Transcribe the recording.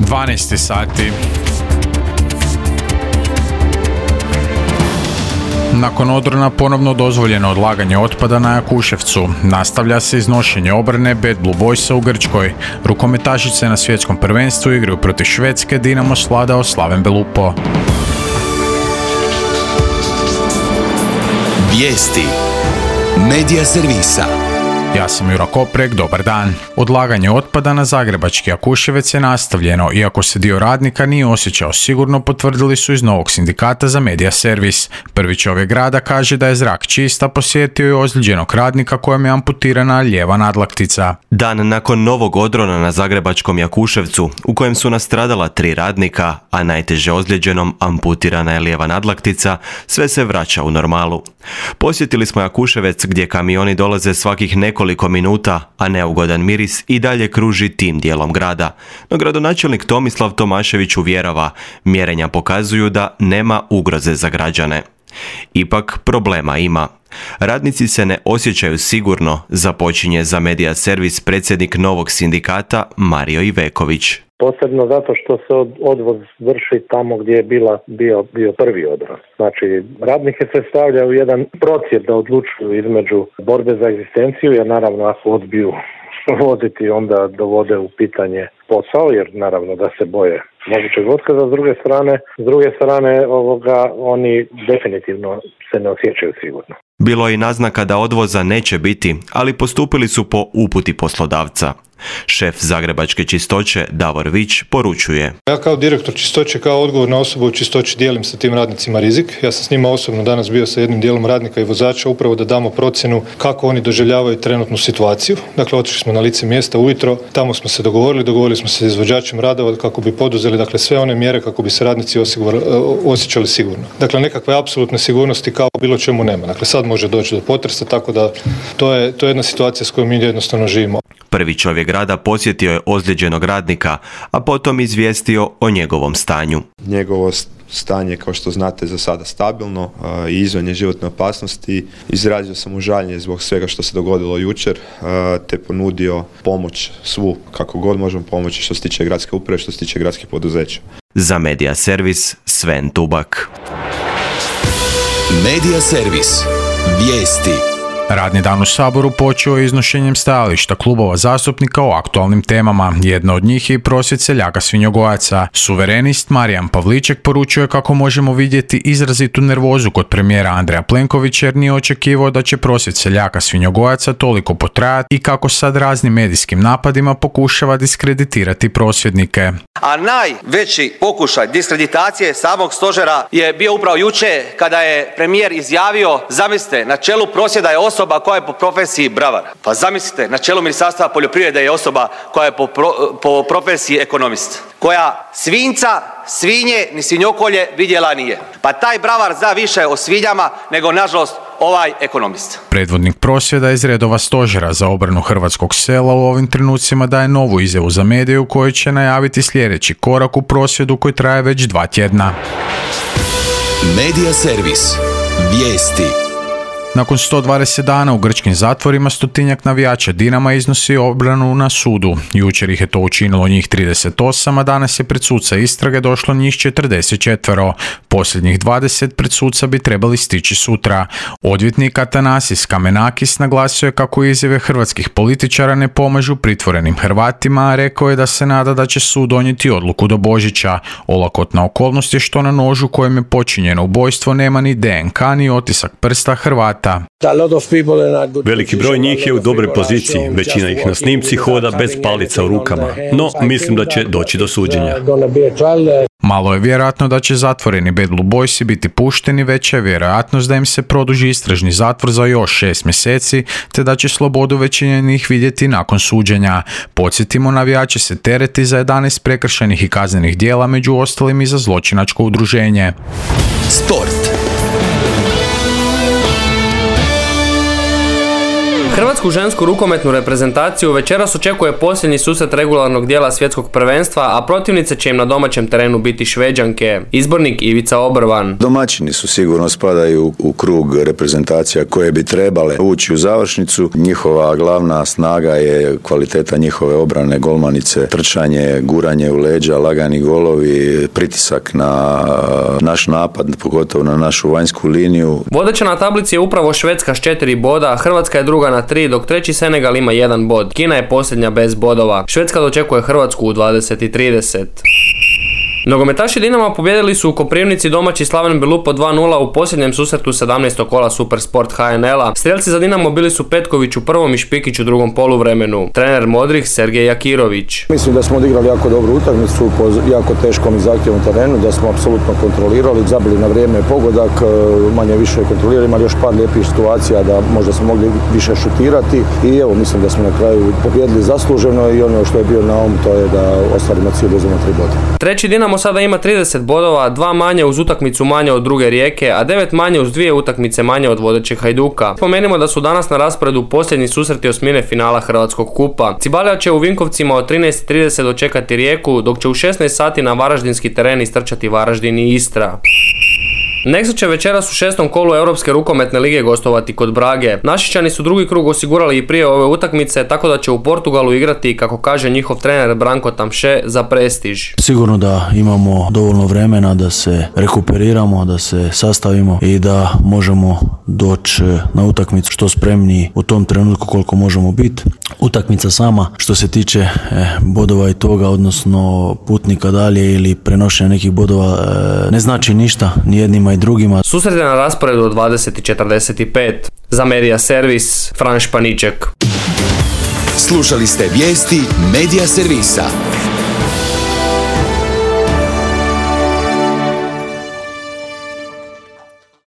12 sati. Nakon odrona ponovno dozvoljeno odlaganje otpada na Jakuševcu. Nastavlja se iznošenje obrane Bad Blue Boysa u Grčkoj. Rukometašice na svjetskom prvenstvu igraju protiv Švedske, Dinamo svladao Slaven Belupo. Vijesti Medija servisa. Ja sam Jura Koprek, dobar dan. Odlaganje otpada na zagrebački Jakuševec je nastavljeno, iako se dio radnika nije osjećao sigurno, potvrdili su iz novog sindikata za Medija servis. Prvi čovjek grada kaže da je zrak čist, a posjetio je ozlijeđenog radnika kojem je amputirana lijeva nadlaktica. Dan nakon novog odrona na zagrebačkom Jakuševcu, u kojem su nastradala 3 radnika, a najteže ozlijeđenom amputirana je lijeva nadlaktica, sve se vraća u normalu. Posjetili smo Jakuševec gdje kamioni dolaze svakih nekoliko minuta, a neugodan miris i dalje kruži tim dijelom grada. No gradonačelnik Tomislav Tomašević uvjerava, mjerenja pokazuju da nema ugroze za građane. Ipak problema ima. Radnici se ne osjećaju sigurno, započinje za Medija servis predsjednik novog sindikata Mario Iveković. Posebno zato što se odvoz vrši tamo gdje je bio prvi odvoz. Znači, radnike se stavlja u jedan procjep da odlučuju između borbe za egzistenciju, jer naravno ako odbiju voziti onda dovode u pitanje posao, jer naravno da se boje mogućeg otkaza. S druge strane oni definitivno se ne osjećaju sigurno. Bilo je i naznaka da odvoza neće biti, ali postupili su po uputi poslodavca. Šef zagrebačke čistoće Davor Vić poručuje: Ja kao direktor čistoće, kao odgovorna osoba u čistoći dijelim sa tim radnicima rizik. Ja sam s njima osobno danas bio sa jednim dijelom radnika i vozača upravo da damo procjenu kako oni doživljavaju trenutnu situaciju. Dakle, otišli smo na lice mjesta ujutro, tamo smo se dogovorili smo se s izvođačem radova kako bi poduzeli sve one mjere kako bi se radnici osjećali sigurno. Dakle, nekakve apsolutne sigurnosti kao bilo čemu nema. Dakle, sad može doći do potresa, tako da to je jedna situacija s kojom mi jednostavno živimo. Prvi čovjek grada posjetio je ozlijeđenog radnika, a potom izvijestio o njegovom stanju. Njegovo stanje, kao što znate, za sada stabilno i izvan je životne opasnosti. Izrazio sam mu žaljenje zbog svega što se dogodilo jučer, te ponudio pomoć svu, kako god možemo pomoći, što se tiče gradske uprave, što se tiče gradskih poduzeća. Za Medija servis, Sven Tubak. Medija servis. Vijesti. Radni dan u Saboru počeo je iznošenjem stajališta klubova zastupnika o aktualnim temama. Jedna od njih je i prosvjed seljaka svinjogojaca. Suverenist Marijan Pavliček poručuje kako možemo vidjeti izrazitu nervozu kod premijera Andreja Plenkovića jer nije očekivao da će prosvjed seljaka svinjogojaca toliko potrajati i kako sad raznim medijskim napadima pokušava diskreditirati prosvjednike. A najveći pokušaj diskreditacije samog stožera je bio upravo jučer kada je premijer izjavio, zamislite, na čelu prosvjeda je osoba koja je po profesiji bravar. Pa zamislite, na čelu Ministarstva poljoprivrede je osoba koja je po profesiji ekonomist. Koja svinjca, svinje ni svinjokolje vidjela nije. Pa taj bravar zna više o svinjama nego nažalost ovaj ekonomist. Predvodnik prosvjeda iz redova stožera za obranu hrvatskog sela u ovim trenucima daje novu izjavu za medije u kojoj će najaviti sljedeći korak u prosvjedu koji traje već 2 tjedna. Medija servis. Vijesti. Nakon 120 dana u grčkim zatvorima 100-tinjak navijača Dinama iznosi obranu na sudu. Jučer ih je to učinilo njih 38, a danas je pred suca istrage došlo njih 44. Posljednjih 20 pred suca bi trebali stići sutra. Odvjetnik Atanasis Kamenakis naglasio je kako izjave hrvatskih političara ne pomažu pritvorenim Hrvatima, a rekao je da se nada da će sud donijeti odluku do Božića. Olakotna okolnost je što na nožu kojem je počinjeno ubojstvo nema ni DNK ni otisak prsta Hrvata. Veliki broj njih je u dobroj poziciji, većina ih na snimci hoda bez palica u rukama, no mislim da će doći do suđenja. Malo je vjerojatno da će zatvoreni Bad Blue Boysi biti pušteni, veća je vjerojatnost da im se produži istražni zatvor za još 6 mjeseci, te da će slobodu većine njih vidjeti nakon suđenja. Podsjetimo, navijači se tereti za 11 prekršajnih i kaznenih djela, među ostalim i za zločinačko udruženje. Sport. Hrvatsku žensku rukometnu reprezentaciju večeras očekuje posljednji susret regularnog dijela svjetskog prvenstva, a protivnice će im na domaćem terenu biti Šveđanke. Izbornik Ivica Obrvan. Domaćini su sigurno spadaju u krug reprezentacija koje bi trebale ući u završnicu. Njihova glavna snaga je kvaliteta njihove obrane, golmanice, trčanje, guranje u leđa, lagani golovi, pritisak na naš napad, pogotovo na našu vanjsku liniju. Vodeća na tablici je upravo Švedska s 4 boda, Hrvatska je druga na 3, dok treći Senegal ima 1 bod. Kina je posljednja bez bodova. Švedska dočekuje Hrvatsku u 20:30. Nogometaši Dinama pobijedili su u Koprivnici domaći Slaven Belupo 2:0 u posljednjem susretu 17. kola Supersport HNL-a. Strijelci za Dinamo bili su Petković u prvom i Špikić u drugom poluvremenu. Trener modrih Sergej Jakirović. Mislim da smo odigrali jako dobru utakmicu po jako teškom i zahtjevnom terenu, da smo apsolutno kontrolirali, zabili na vrijeme pogodak, manje više kontrolirali, imali još par lijepih situacija da možda smo mogli više šutirati i evo mislim da smo na kraju pobijedili zasluženo i ono što je bio na to je da ostvarimo cilj da uzmemo 3 boda. Treći Dinamo sada ima 30 bodova, 2 manje uz utakmicu manje od druge Rijeke, a 9 manje uz 2 utakmice manje od vodećeg Hajduka. Spomenimo da su danas na rasporedu posljednji susreti osmine finala Hrvatskog kupa. Cibalija će u Vinkovcima od 13:30 dočekati Rijeku, dok će u 16 sati na varaždinski teren istrčati Varaždin i Istra. Nexa će večeras u 6. kolu Europske rukometne lige gostovati kod Brage. Našičani su drugi krug osigurali i prije ove utakmice, tako da će u Portugalu igrati, kako kaže njihov trener Branko Tamše, za prestiž. Sigurno da imamo dovoljno vremena da se rekuperiramo, da se sastavimo i da možemo doći na utakmicu što spremniji u tom trenutku koliko možemo biti. Utakmica sama što se tiče bodova i toga, odnosno putnika dalje ili prenošenja nekih bodova, ne znači ništa ni jednima i drugima. Susret je na rasporedu od 20:45. Za Medija Servis, Fran Španiček. Slušali ste vijesti Medija Servisa.